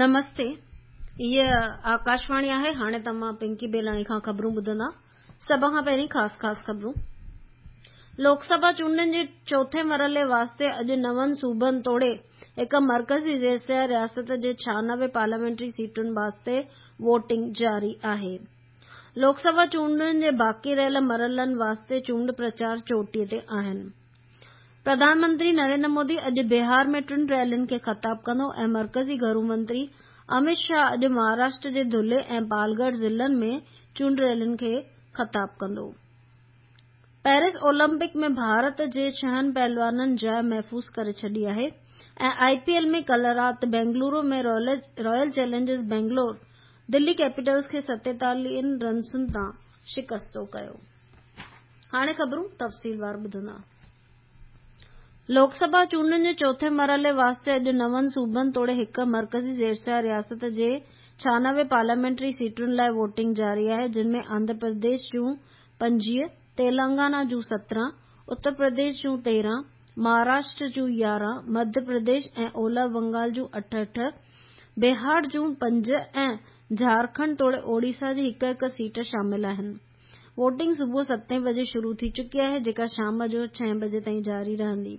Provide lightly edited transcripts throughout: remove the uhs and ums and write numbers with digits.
نمستي هيء آڪاشواڻي آهي هاڻي توهان پنڪي بيلاڻي کان خبرون ٻڌندا سڀ کان پهرين خاص خاص خبرون لوڪ سڀا چونڊن جي چوٿين مرحلي واسطي اڄ نون صوبن توڙي هڪ مرڪزي زيرسيا رياست جي 96 پارليامينٽري سيٽن واسطي ووٽنگ جاري آهي. لوڪ سڀا چونڊن جي باقي رهيل مرحلن واسطي چونڊ پرچار چوٽيء تي آهن. پرڌان منتري نريندر مودي اڄ بهار ۾ ٽن ريلين کي خطاب ڪندو ۽ مرڪزي گهرو منتري امت شاهه اڄ مهاراشٽر جي ڌلي ۽ پالگڙ ضلعن ۾ چونڊ ريلين کي خطاب ڪندو. پيرس اولمپڪ ۾ ڀارت جي ڇهن پهلوانن جاء محفوظ ڪري ڇڏي آهي ۽ آء پي ايل ۾ ڪلهه رات Bengaluru ۾ Royal Challengers Bangalore Delhi Capitals کي 47 رنسن تان شڪستو ڪيو. هاڻي خبرون تفصيلوار ٻڌندا. لوڪ سڀا چونڊن جي چوٿين مرحلي واسطي اڄ نون صوبن توڙي هڪ مرڪزي زيرسيا رياست جي 96 پارليامينٽري سيٽن لاء ووٽنگ جاري آهي جن ۾ آنڌرا پرديش جون 25، تيلنگانا جون 17، اتر پرديش جون 13، مهاراشٽر جون 11، مڌيه پرديش ۽ اولهه بنگال جون اٺ اٺ، بهار جون پنج ۽ جهارکنڊ توڙي اوڙيسا جي هڪ هڪ سيٽ شامل آهن. ووٽنگ صبح ستين بجي شروع ٿي چڪي آهي جيڪا شام جو ڇهين بجي تائين جاري رهندي.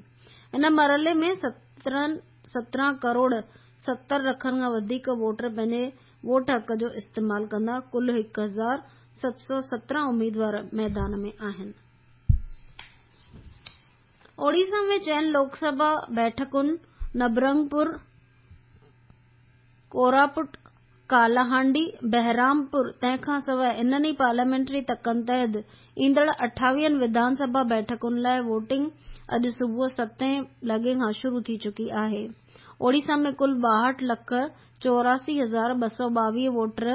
ان مرحلي ۾ 17 ڪروڙ 70 لکن کان وڌيڪ ووٽر پنهنجي ووٽ حق جو استعمال ڪندا. ڪل 1717 اميدوار ميدان ۾ آهن. اوڙيسا ۾ چئن لوڪ سڀا بيٺڪن نبرنگپور، ڪوراپٽ، ڪالاهانڊي، بهرامپور تنهن کان سواء انهن ئي پارليامينٽري تڪن تحت ايندڙ اٺاويهن وڌان سڀا بيٺڪن لاء ووٽنگ اڄ صبح ستين لڳي کان شروع ٿي چڪي آهي. اوڙيسا ۾ ڪل 62 لک 84222 ووٽر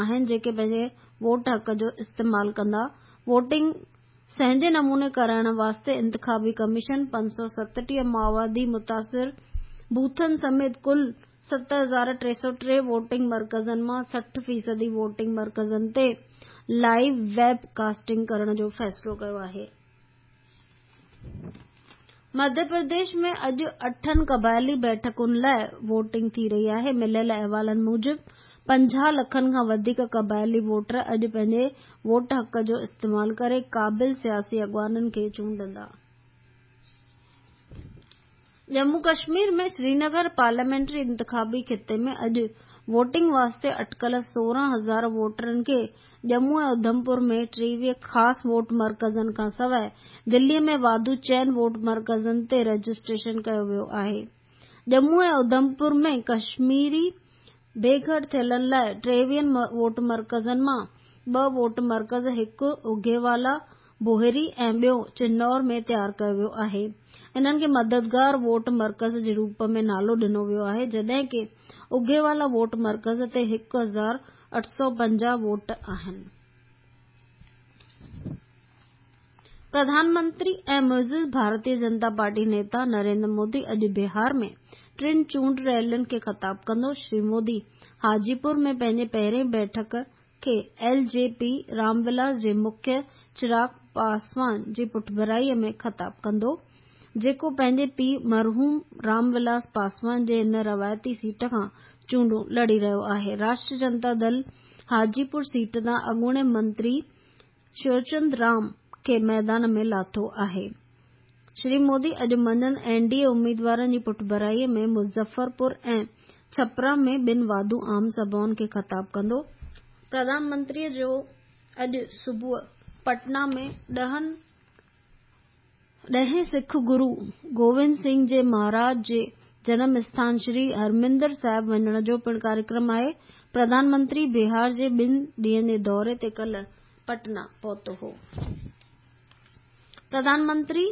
آهن جيڪي پنهنجي ووٽ حق جو استعمال ڪندا. ووٽنگ سهنجي نموني ڪرائڻ واسطي انتخابي ڪميشن 537 ماوادي متاثر بوٿن سميت ڪل 7303 ووٽنگ مرڪزن مان 60 فيصدي ووٽنگ مرڪزن تي لائيو ويب ڪاسٽنگ ڪرڻ جو فيصلو ڪيو آهي. مڌيه پرديش ۾ اڄ اٺن قبائلي بيٺڪن لاء ووٽنگ ٿي رهي آهي. مليل احوالن موجب 50 لکن کان وڌيڪ قبائلي ووٽر اڄ پنهنجي ووٽ حق جو استعمال ڪري قابل سياسي اڳواڻن کي چونڊندا. ڄمون ڪشمير ۾ سرينگر پارليامينٽري انتخابي خطي ۾ اڄ ووٽنگ واسطي اٽڪل 16,000 ووٽرن کي ڄمون ۽ اڌمپور ۾ 23 خاص ووٽ مرڪزن کانسواء دلي ۾ واڌو چئن ووٽ مرڪزن تي رجسٽريشن ڪيو ويو آهي. ڄمون ۽ اڌمپور ۾ ڪشميري بي گهر ٿيلن لاء 23 ووٽ مرڪزن مان ٻه ووٽ مرڪز هڪ اگهيوالا بوهري ۽ ٻيو چنور ۾ تيار ڪيو ويو آهي. انهن کي مددگار ووٽ مرڪز جي روپ ۾ نالو ڏنو ويو آهي جڏهن ڪي اگهيوالا ووٽ مرڪز تي 1850 ووٽ آهن. پرڌان منتري ۽ معزز ڀارتيه جنتا پارٽي نيتا نريندر مودي اڄ بهار ۾ ٽن چونڊ ريلين کي خطاب ڪندو. شري مودي حاجي پور ۾ پنهنجي پهرين بيٺڪ کي ايل جي پي رام ولاس جي مکي چراغ پاسوان جي پٺڀرائيء ۾ خطاب ڪندو، جيڪو پنهنجي پيء مرحوم رام ولاس پاسوان جي ان روايتي سيٽ کان چونڊون لڙي رهيو آهي. راشٽريه جنتا دل حاجي پور سيٽ تان اڳوڻي منتري شيوچند رام کي ميدان ۾ لاٿو آهي. شري مودي اڄ منجهند اين ڊي اي اميدوارن جي پٺڀرائي ۾ مظفرپور ۽ ڇپرا ۾ ٻن واڌو عام سڀائن کي خطاب ڪندو. پرڌان منتري جو اڄ صبح پٽنا ۾ ڏهين سک گرو گوبند سنگهه جي مهاراج جي جنم اسٿان شري هرمندر صاحب وڃڻ جو پڻ ڪاريڪرم آهي. پرڌان منتري بهار جي ٻن ڏينهن جي دوري تي ڪلهه پٽنا پهتو هو. پرڌان منتري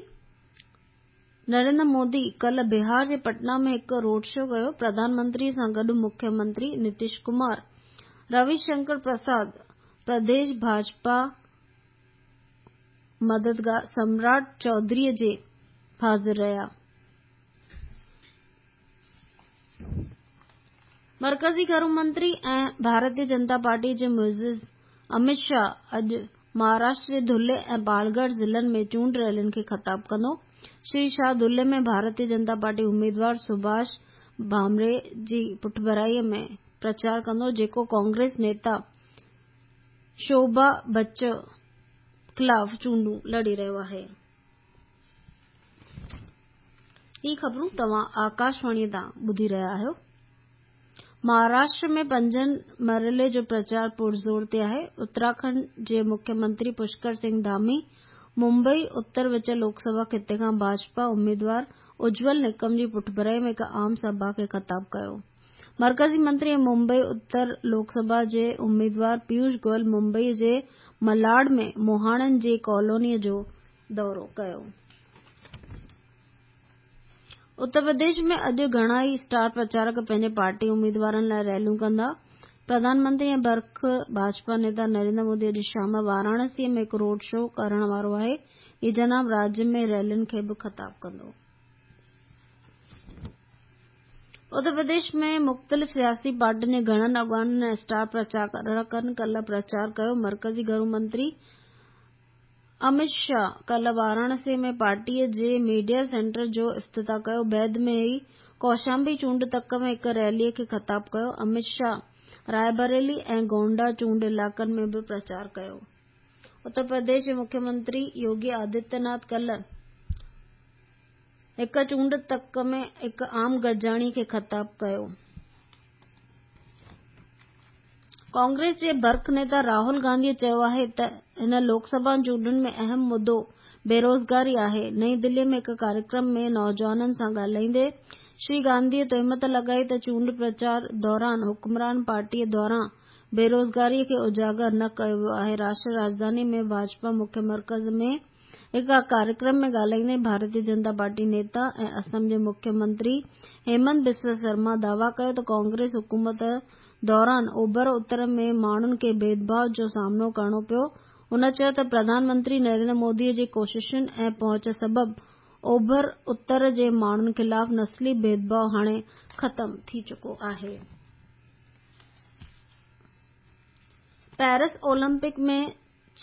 نريندر مودي ڪلهه بهار جي پٽنا ۾ هڪ روڊ شو ڪيو. پرڌان منتري سان گڏ مکيه منتري نتيش ڪمار، روي شنڪر پرساد، پرديش ڀاجپا مددگار سمراٽ چوڌري جي حاضر رهيا. مرڪزي گهرو منتري ۽ ڀارتيه جنتا پارٽي جي معزز امت شاهه اڄ مهاراشٽر جي ڌلي ۽ پالگڙ ضلعن ۾ چونڊ ريلين کي خطاب ڪندو. شري شاهه ڌلي ۾ ڀارتيه جنتا پارٽي اميدوار سڀاش ڀامري جي پٺڀرائي ۾ پرچار ڪندو، جيڪو ڪانگريس نيتا شوڀا بچ خلاف چونڊون لڙي رهيو آهي. هي خبرون توهان آڪاشواڻيء تان ٻڌي رهيا آهيو. مهاراشٽر ۾ پنجن مرحلي جو پرچار پرزور تي آهي. اتراکنڊ جي مکيه منتري پشڪر سنگهه ڌامي ممبئي اتر وچ لوڪ سڀا خطي کان ڀاجپا اميدوار اجول نڪم جي پٺڀرائي ۾ هڪ عام سڀا کي خطاب ڪيو. مرڪزي منتري ۽ ممبئي اتر لوڪ سڀا جي اميدوار پيوش گويل ممبئي جي ملاڊ ۾ مهاڻن جي ڪالونيء جو دورو ڪيو. اتر پرديش ۾ اڄ گهڻا ئي اسٽار پرچارڪ پنهنجي پارٽي اميدوارن لاء ريليون ڪندا. پرڌان منتري ۽ برک ڀاجپا نيتا نريندر مودي اڄ شام واراڻسي ۾ هڪ روڊ شو ڪرڻ وارو آهي. هي جناب راڄ ۾ ريلين کي به خطاب ڪندو. اتر پرديش ۾ مختلف سياسي پارٽين جي گهڻن اڳواڻن ۽ اسٽار پرچارڪن ڪلهه پرچار ڪيو. مرڪزي گهرو منتري امت شاهه ڪلهه واراڻسي ۾ پارٽيء جي ميڊيا سينٽر جو افتتاح ڪيو. بعد ۾ هي ڪوشامبي چونڊ تڪ ۾ هڪ ريليء کي خطاب ڪيو. امت شاهه رائي بريلي ۽ گونڊا چونڊ علائقن ۾ به پرچار ڪيو. اتر پرديش جي مکيه منتري يوگي آدتيه ناٿ ڪلهه هڪ چونڊ تڪ ۾ هڪ عام گڏجاڻي کي خطاب ڪيو. ڪانگريس جي برک نيتا راهول گانڌيء چيو آهي ته هن لوڪ سڀا چونڊن ۾ اهم مدو بيروزگاري آهي. نئين دهليء ۾ هڪ ڪاريڪرم ۾ نوجوانن سان ڳالهائيندي شري گانڌيء تهمت لڳائي ته چونڊ پرچار دوران حڪمران پارٽيء دواران بيروزگاريء کي اجاگر نه ڪيو ويو آهي. راشٽر راڄڌاني ۾ ڀاجپا مکيه مرڪز ۾ هڪ ڪاريڪرم ۾ ڳالهائيندي ڀارتي جنتا پارٽي نيتا ۽ اسم جي مکيه منتري هيمنت بسوا سرما دعويٰ ڪيو ته ڪانگريس حڪومت دوران اوڀر اتر ۾ ماڻهن کي ڀيدڀاء جو سامنو ڪرڻو پيو. هن چيو ته پرڌان منتري نريندر مودي جي ڪوششن ۽ پهچ سبب اوڀر اتر جي ماڻهن خلاف نسلي ڀيدڀاء هاڻي ختم ٿي چڪو آهي. پيرس اولمپڪ ۾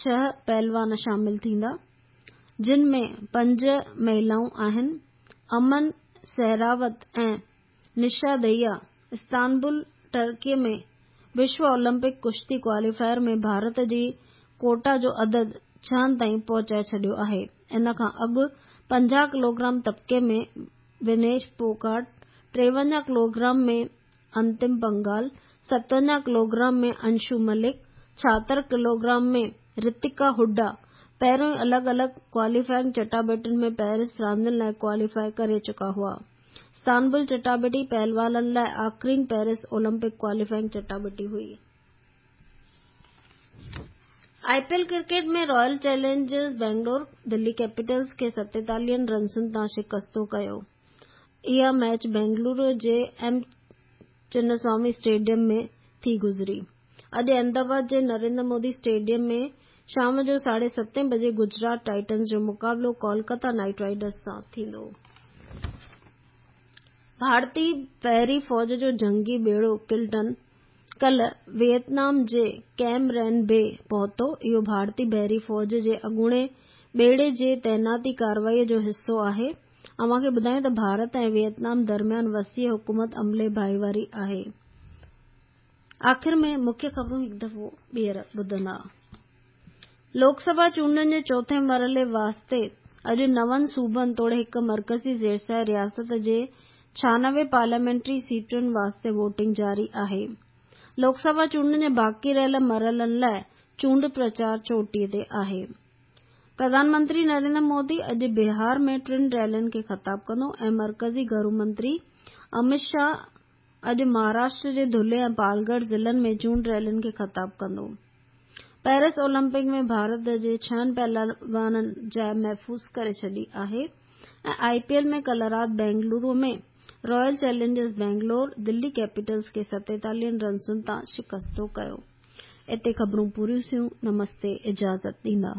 ڇهه پهلوان شامل ٿيندا، جن ۾ پنج مهلائون آهن. امن سهراوت ۽ نشا دهيا استنبول، ترڪيء ۾ وشو اولمپڪ ڪشتي ڪواليفائر ۾ ڀارت جي ڪوٽا جو عدد ڇهن تائين پهچائي ڇڏيو آهي. ان کان اڳ 50 ڪلوگرام طبقي ۾ ونيش پوگاٽ، 53 ڪلوگرام ۾ انتم پنگال، 57 ڪلوگرام ۾ انشو ملڪ، 76 ڪلوگرام ۾ رتيڪا هوڊا پهريون ئي الڳ الڳ ڪواليفائنگ چٽاڀيٽين ۾ پيرس راندين لاء ڪواليفاء ڪري چڪا هئا. استنبول چٽاڀيٽي پهلوانن لاء آخرين پيرس اولمپڪ ڪواليفائنگ چٽاڀيٽي هئي. I P L cricket ۾ Royal Challengers Bangalore Delhi Capitals کي 47 رنسن تان شڪستو ڪيو. اها ميچ بينگلورو جي ايم چناسوامي اسٽيڊيم ۾ ٿي گذري. اڄ احمدآباد جي نريندر مودي اسٽيڊيم ۾ شام جو ساڍي ستين بجي گجرات ٽائٽنز جو مقابلو ڪولڪتا نائيٽ رائيڊرز سان ٿيندو. ڀارتي بحري فوج جو جنگي ٻيڙو ڪلٽن ڪلهه ويٽنام جي ڪيم رين بي پهتو. اهو ڀارتي بحري فوج جي اڳوڻي ٻيڙي جي تعيناتي ڪارروائي جو حصو آهي. اوهان کي ٻڌايون ته ڀارت ۽ ويٽنام درميان وسيع حڪمت عملي ڀائيواري آهي. آخر ۾ مکيه خبرون هڪ دفعو ٻيهر ٻڌندا. لوڪ سڀا چونڊن جي چوٿين مرحلي واسطي اڄ نون صوبن توڙي هڪ مرڪزي زيرسايه رياست جي 96 پارليامينٽري سيٽن واسطي ووٽنگ جاري آهي. لوڪ سڀا چونڊن جي باقي رهيل مرحلن لاء چونڊ پرچار چوٽي تي آهي. پرڌان منتري نريندر مودي اڄ بهار ۾ ٽن ريلين کي خطاب ڪندو ۽ مرڪزي گهرو منتري امت شاهه اڄ مهاراشٽر جي ڌلي ۽ پالڳڙهه ضلعن ۾ چونڊ ريلين کي خطاب ڪندو. پيرس اولمپڪ ۾ ڀارت جي ڇهن پهلوانن جاء محفوظ ڪري ڇڏي آهي ۽ آء پي ايل ۾ ڪلهه رات Bengaluru ۾ Royal Challengers Bangalore Delhi Capitals کي 47 رنسن تان شڪستو ڪيو. اتي خبرون پوريون ٿيون. نمستي اجازت ڏيندا.